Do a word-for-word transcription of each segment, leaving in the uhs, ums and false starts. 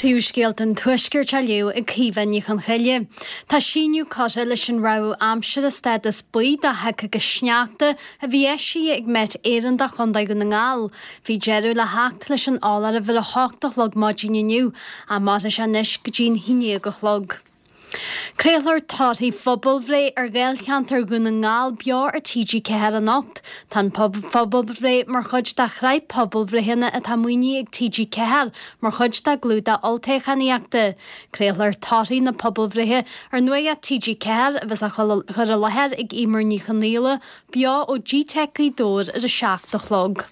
Príomhscéalta an Tuaiscirt á léamh ag Caoimhe Ní Chonchoille. Tá síneadh curtha leis an rabhadh aimsire stádas buí do shioc agus sneachta a bhí eisithe ag Met Éireann do Chontae Dhún na nGall. Bhí deireadh le theacht leis an eoláireamh ar a hocht a chlog maidin inniu, ach mairfidh sé anois go dtí an haon déag a chlog. Craolfar torthaí phobalbhreith ar Ghaelcheantar Dhún na nGall beo ar TG Ceathair anocht. Tá an phobalbhreith mar chuid de shraith pobalbhreitheanna atá maoinithe ag TG Ceathair mar chuid dá gclúdach olltoghchánaíochta. Craolfar torthaí na pobalbhreithe ar Nuacht TG Ceathair a bheas á chur i láthair ag Emer Ní Chonaola beo ó G-Tech Gaoth Dobhair ar a seacht a chlog.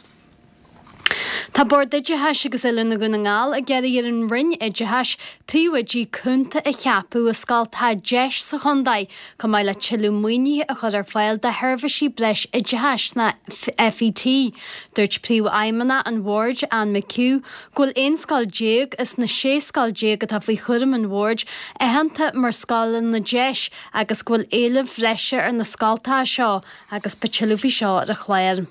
Tá Bord Oideachais agus Oiliúna Dhún na nGall ag iarraidh ar an Roinn Oideachais príomhoidí cúnta a cheapadh i scoltacha DEIS sa chontae, chomh maith le tuilleadh maoinithe a chur ar fáil do sheirbhísí breis oideachais sna FET. Dúirt príomhfheidhmeannach an bhoird, Anne McHugh, go bhfuil aon scoil déag as na sé scoil déag atá faoi chúram an bhoird aitheanta mar scoileanna DEIS agus go bhfuil éileamh bhreise ar na scoltacha seo agus beidh tuilleadh faoi seo ar an chlár.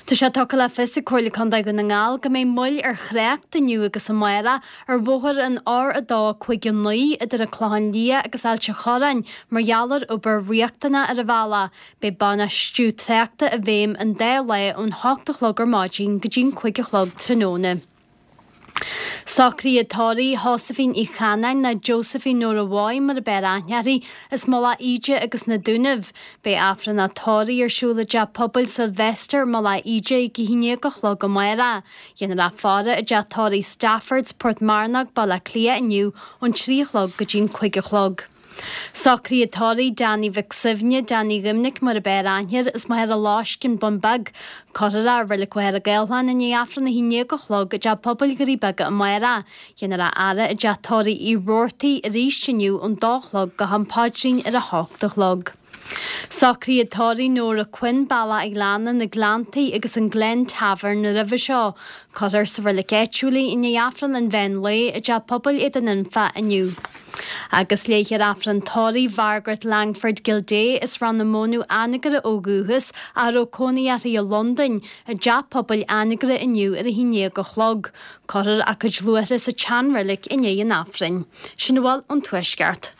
Tá sé tugtha le fios ag Comhairle Contae Dhún na nGall go mbeidh moill ar thrácht inniu agus amárach ar bhóthar an R a dó cúig a naoi idir an Clochán Liath agus Ailt an Chorráin mar gheall ar obair riachtanach ar an bhealach. Beidh bainistiú tráchta i bhfeidhm an dá lá ón hocht a chlog ar maidin go dtí an cúig a chlog tráthnóna. Socruithe tórraimh Sheosaimhín Uí Chanáin nó Josephine Nóra Mhaigh mar ab fhearr aithne uirthi as Mullach Íde agus na Dúnaibh. Beidh Aifreann an tórraimh ar siúl i dteach pobail Sylvester Mullach Íde ag a haon déag a chlog amárach. Déanfar í a fhaire i dteach tórraimh Staffords, Portmarnock, Baile Átha Cliath inniu ón trí a chlog go dtí an cúig a chlog. Socruithe tórraimh Danny Mhic Suibhne, Danny Dhoimnic mar ab fhearr aithne air as Machaire Loiscthe, An Bun Beag. Cuirfear é i Reilig Mhachaire Gathlán i ndiaidh Aifreann a haon déag a chlog i dteach pobail Dhoirí Beaga amárach. Déanfar a fhaire i dteach tórraimh Uí Robhartaigh arís inniu ón dó a chlog go ham paidrín ar a hocht a chlog. Socruithe tórraimh Nóra Quinn, Bealach an Ghleanna, na Gleanntaí agus an Glen Tavern roimhe seo. Cuirfear sa reilig áitiúil í i ndiaidh Aifreann an mheán lae i dteach pobail Éadan Anfa inniu. Agus léifear Aifreann tórraimh Mhargaret Langford Gildea as Ráth na Mónadh Anagaire ó dhúchas a raibh cónaí uirthi i Londain i dteach pobail Anagaire inniu ar a haon déag a chlog. Cuirfear a cuid luaithre sa tseanreilig i ndiaidh an Aifrinn. Sin a bhfuil ón Tuaisceart.